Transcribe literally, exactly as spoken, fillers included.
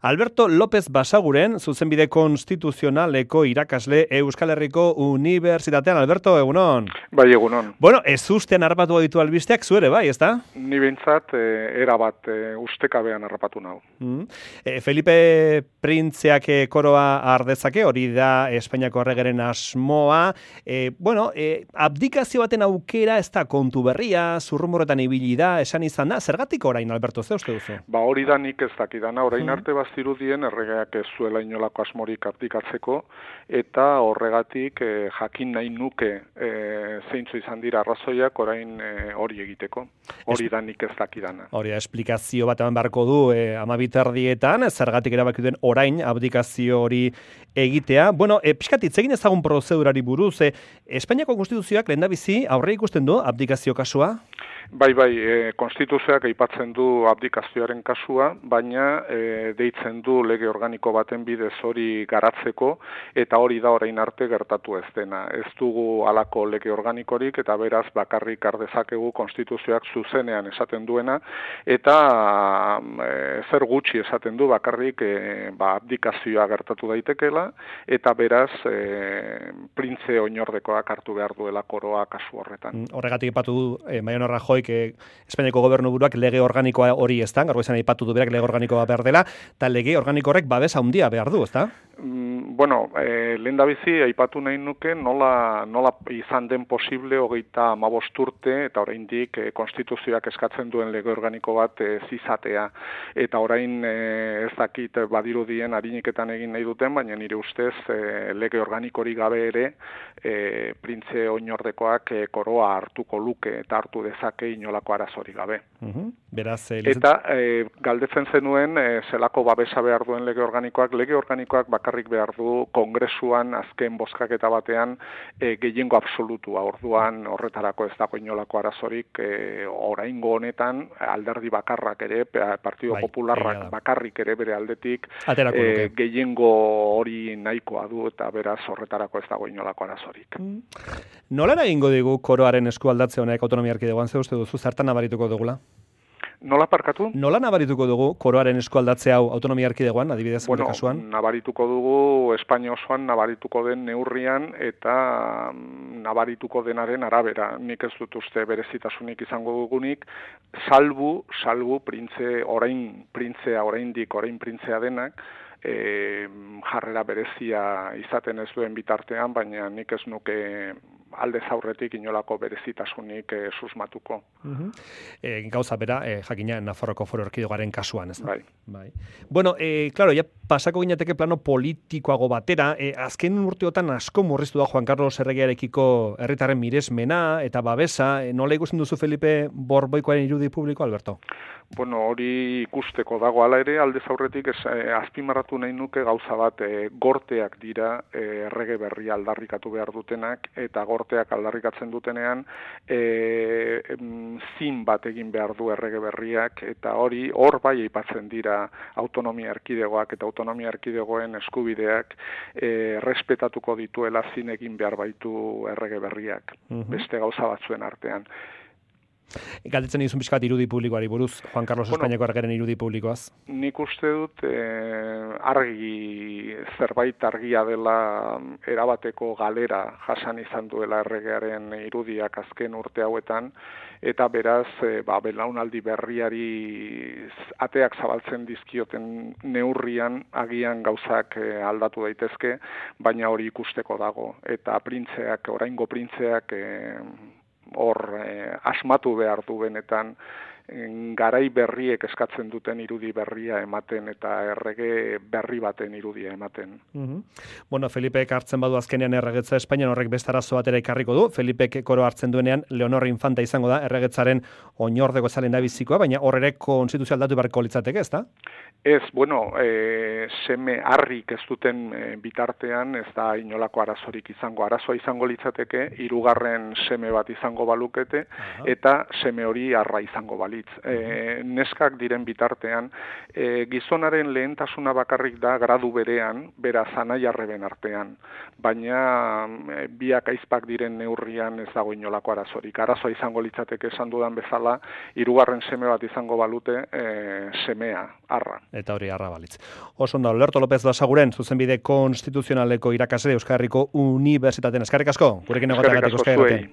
Alberto López Basaguren, zuzenbide konstituzionaleko irakasle Euskal Herriko Unibertsitatean. Alberto, egunon. Bai, egunon. Bueno, ez ustean harrapatu ditu albisteak, zuere, bai, ezta? Ni behintzat, e, erabat e, ustekabean harrapatu nahu. Mm. E, Felipe Printzeak koroa ardezake, hori da Espainiako erregeren asmoa. E, bueno, e, abdikazio baten aukera ez da kontu berria, zurrumurretan ibili da, esan izan da. Zergatik orain, Alberto, ze uste duzu? Ba, hori da nik ez dakidana, orain mm. arte bazirudien erregeak ez zuela inolako asmorik abdikatzeko, eta horregatik e, jakin nahi nuke e, zeintzu izan dira arrazoiak orain e, hori egiteko. Hori es... da nik ez dakidana. Hori da, esplikazio bat eman beharko du e, amabitardietan, zergatik erabaki duen orain abdikazio hori egitea. Bueno, e, pixkat hitz egin ezagun prozedurari buruz, e, Espainiako konstituzioak lehendabizi aurre ikusten du abdikazio kasua? Bai, bai, e, konstituzioak aipatzen du abdikazioaren kasua, baina e, deitzen du lege organiko baten bidez hori garatzeko, eta hori da orain arte gertatu ez dena. Ez dugu halako lege organikorik, eta beraz bakarrik ardezakegu konstituzioak zuzenean esaten duena, eta e, zer gutxi esaten du bakarrik e, ba, abdikazioa gertatu daitekela, eta beraz e, printze oinordekoak hartu behar duela koroa kasu horretan. Horregatik aipatu du e, Mariano Rajoy que Espainiako gobernu buruak lege organikoa hori ez da, gaur izan aipatu du berak lege organikoa behar dela, eta lege organiko horrek babes handia behar du, ez da? Mm, bueno, e, lehendabizi aipatu nahi nuke nola, nola izan den posible hogeita hamabost urte, eta oraindik e, konstituzioak eskatzen duen lege organiko bat ez izatea. Eta orain e, ez dakit badirudien hariniketan egin nahi duten, baina nire ustez e, lege organikorik gabe ere e, printze oinordekoak e, koroa hartuko luke eta hartu dezake inolako arazorik gabe. Uh-huh. Beraz, e, eta e, galdetzen zenuen e, zelako babesa behar duen lege organikoak, lege organikoak bakarrik behar du kongresuan azken bozkaketa batean e, gehiengo absolutua, orduan horretarako ez dago inolako arazorik e, oraingo honetan alderdi bakarrak ere, Partido bai, Popularrak bakarrik ere bere aldetik e, gehiengo hori nahikoa du eta beraz horretarako ez dago inolako arazorik. Mm. Nola egingo digu koroaren eskualdatze honek autonomia erkidegoan, ze uste duzu, zertan nabarituko dugula? Nola parkatu? Nola nabarituko dugu koroaren eskualdatze hau autonomia erkidegoan, adibidez bueno, kasuan? Nabarituko dugu Espainia osoan nabarituko den neurrian eta nabarituko denaren arabera. Nik ez dut uste berezitasunik izango dugunik, salbu, salbu printze, orain printzea, oraindik orain printzea denak, E, jarrera berezia izaten ez duen bitartean, baina nik ez nuke aldez aurretik inolako berezitasunik e, susmatuko. Uh-huh. E, gauza bera, e, jakina Nafarroko Foru Erkidegoaren kasuan, ez da? Bai. Bai. Bueno, e, claro, ja pasako ginateke plano politikoago batera, e, azken urteotan asko murriztu da Juan Carlos erregearekiko herritarren miresmena eta babesa, e, nola ikusten duzu Felipe Borboikoaren irudi publiko, Alberto? Bueno, hori ikusteko dago, hala ere, aldez aurretik ez, eh, azpimarratu nahi nuke gauza bat, eh, gorteak dira eh, errege berria aldarrikatu behar dutenak, eta gorteak aldarrikatzen dutenean eh, zin bat egin behar du errege berriak, eta hori hor bai aipatzen dira autonomia erkidegoak eta autonomia erkidegoen eskubideak eh, respetatuko dituela zin egin behar baitu errege berriak, uh-huh. beste gauza batzuen artean. Galdetzen dizun pixkat irudi publikoari buruz, Juan Carlos bueno, Espainiako erregeren irudi publikoaz. Nik uste dut eh, argi, zerbait argia dela erabateko galera jasan izan duela erregearen irudiak azken urte hauetan, eta beraz, e, ba, belaunaldi berriari ateak zabaltzen dizkioten neurrian agian gauzak e, aldatu daitezke, baina hori ikusteko dago. Eta printzeak, oraingo printzeak, e, hor eh, asmatu behar du benetan garai berriek eskatzen duten irudi berria ematen eta errege berri baten irudia ematen. Uh-huh. Bueno, Felipek hartzen badu azkenean erregetza Espainian, horrek beste arazo batera ekarriko du. Felipek koro hartzen duenean Leonor Infanta izango da erregetzaren oinordeko zalen da bizikoa, baina hor ere konstituzio aldatu beharko litzateke, ez da? Ez, bueno, e, seme harrik ez duten e, bitartean ez da inolako arazorik izango. Arazoa izango litzateke, hirugarren seme bat izango balukete, uh-huh. eta seme hori harra izango bali. balitz, e, neskak diren bitartean, e, gizonaren lehentasuna bakarrik da gradu berean, bera anai-arreben artean, baina e, biak aizpak diren neurrian ez dago inolako arazorik. Arazoa izango litzateke esan dudan bezala, hirugarren seme bat izango balute e, semea, arra. Eta hori arra balitz. Oso ondo, Lerto López Basaguren, zuzenbide konstituzionaleko irakasle Euskal Herriko Unibertsitatean. Eskerrik asko, gurekin egoteagatik Euskal Herrian.